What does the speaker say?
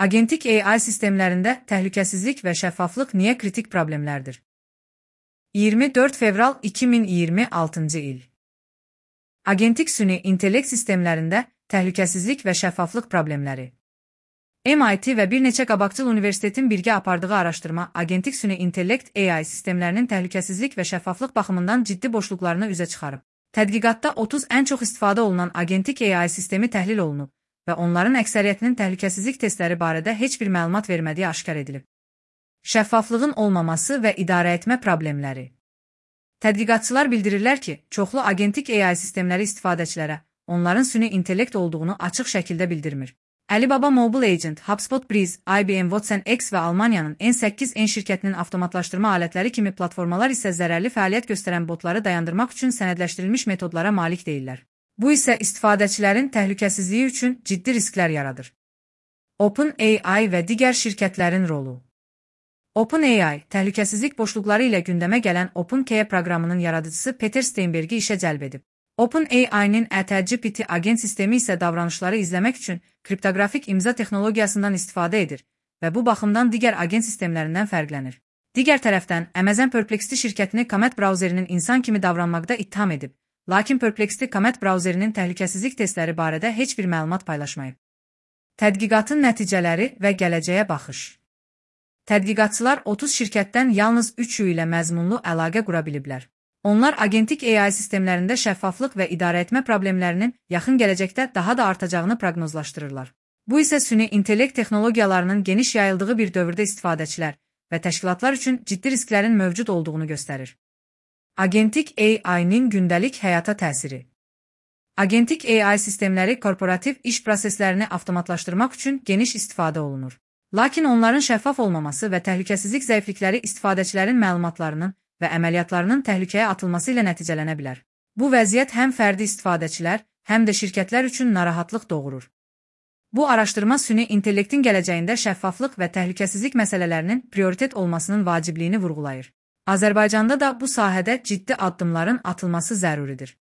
Agentik AI sistemlərində təhlükəsizlik və şəffaflıq niyə kritik problemlərdir? 24 fevral 2026-cı il. Agentik süni intellekt sistemlərində təhlükəsizlik və şəffaflıq problemləri. MIT və bir neçə qabaqcıl universitetin birgə apardığı araşdırma agentik süni intellekt AI sistemlərinin təhlükəsizlik və şəffaflıq baxımından ciddi boşluqlarını üzə çıxarıb. Tədqiqatda 30 ən çox istifadə olunan agentik AI sistemi təhlil olunub və onların əksəriyyətinin təhlükəsizlik testləri barədə heç bir məlumat vermədiyi aşkar edilib. Şəffaflığın olmaması və idarəetmə problemləri. Tədqiqatçılar bildirirlər ki, çoxlu agentik AI sistemləri istifadəçilərə onların süni intellekt olduğunu açıq şəkildə bildirmir. Alibaba Mobile Agent, HubSpot Breeze, IBM Watson X və Almaniyanın N8N şirkətinin avtomatlaşdırma alətləri kimi platformalar isə zərərli fəaliyyət göstərən botları dayandırmaq üçün sənədləşdirilmiş metodlara malik deyirlər. Bu isə istifadəçilərin təhlükəsizliyi üçün ciddi risklər yaradır. OpenAI və digər şirkətlərin rolu. OpenAI, təhlükəsizlik boşluqları ilə gündəmə gələn OpenAI proqramının yaradıcısı Peter Steinberg'i işə cəlb edib. OpenAI-nin GPT agent sistemi isə davranışları izləmək üçün kriptoqrafik imza texnologiyasından istifadə edir və bu baxımdan digər agent sistemlərindən fərqlənir. Digər tərəfdən, Amazon Perplexity şirkətini Comet brauzerinin insan kimi davranmaqda ittiham edib, lakin Perplexity Comet brauzerinin təhlükəsizlik testləri barədə heç bir məlumat paylaşmayıb. Tədqiqatın nəticələri və gələcəyə baxış. Tədqiqatçılar 30 şirkətdən yalnız 3-ü ilə məzmunlu əlaqə qura biliblər. Onlar agentik AI sistemlərində şəffaflıq və idarəetmə problemlərinin yaxın gələcəkdə daha da artacağını proqnozlaşdırırlar. Bu isə süni intellekt texnologiyalarının geniş yayıldığı bir dövrdə istifadəçilər və təşkilatlar üçün ciddi risklərin mövcud olduğunu göstərir. Agentik AI-nin gündəlik həyata təsiri. Agentik AI sistemləri korporativ iş proseslərini avtomatlaşdırmaq üçün geniş istifadə olunur. Lakin onların şəffaf olmaması və təhlükəsizlik zəiflikləri istifadəçilərin məlumatlarının və əməliyyatlarının təhlükəyə atılması ilə nəticələnə bilər. Bu vəziyyət həm fərdi istifadəçilər, həm də şirkətlər üçün narahatlıq doğurur. Bu araşdırma süni intellektin gələcəyində şəffaflıq və təhlükəsizlik məsələlərinin prioritet olmasının vacibliyini vurğulayır. Azərbaycanda da bu sahədə ciddi addımların atılması zəruridir.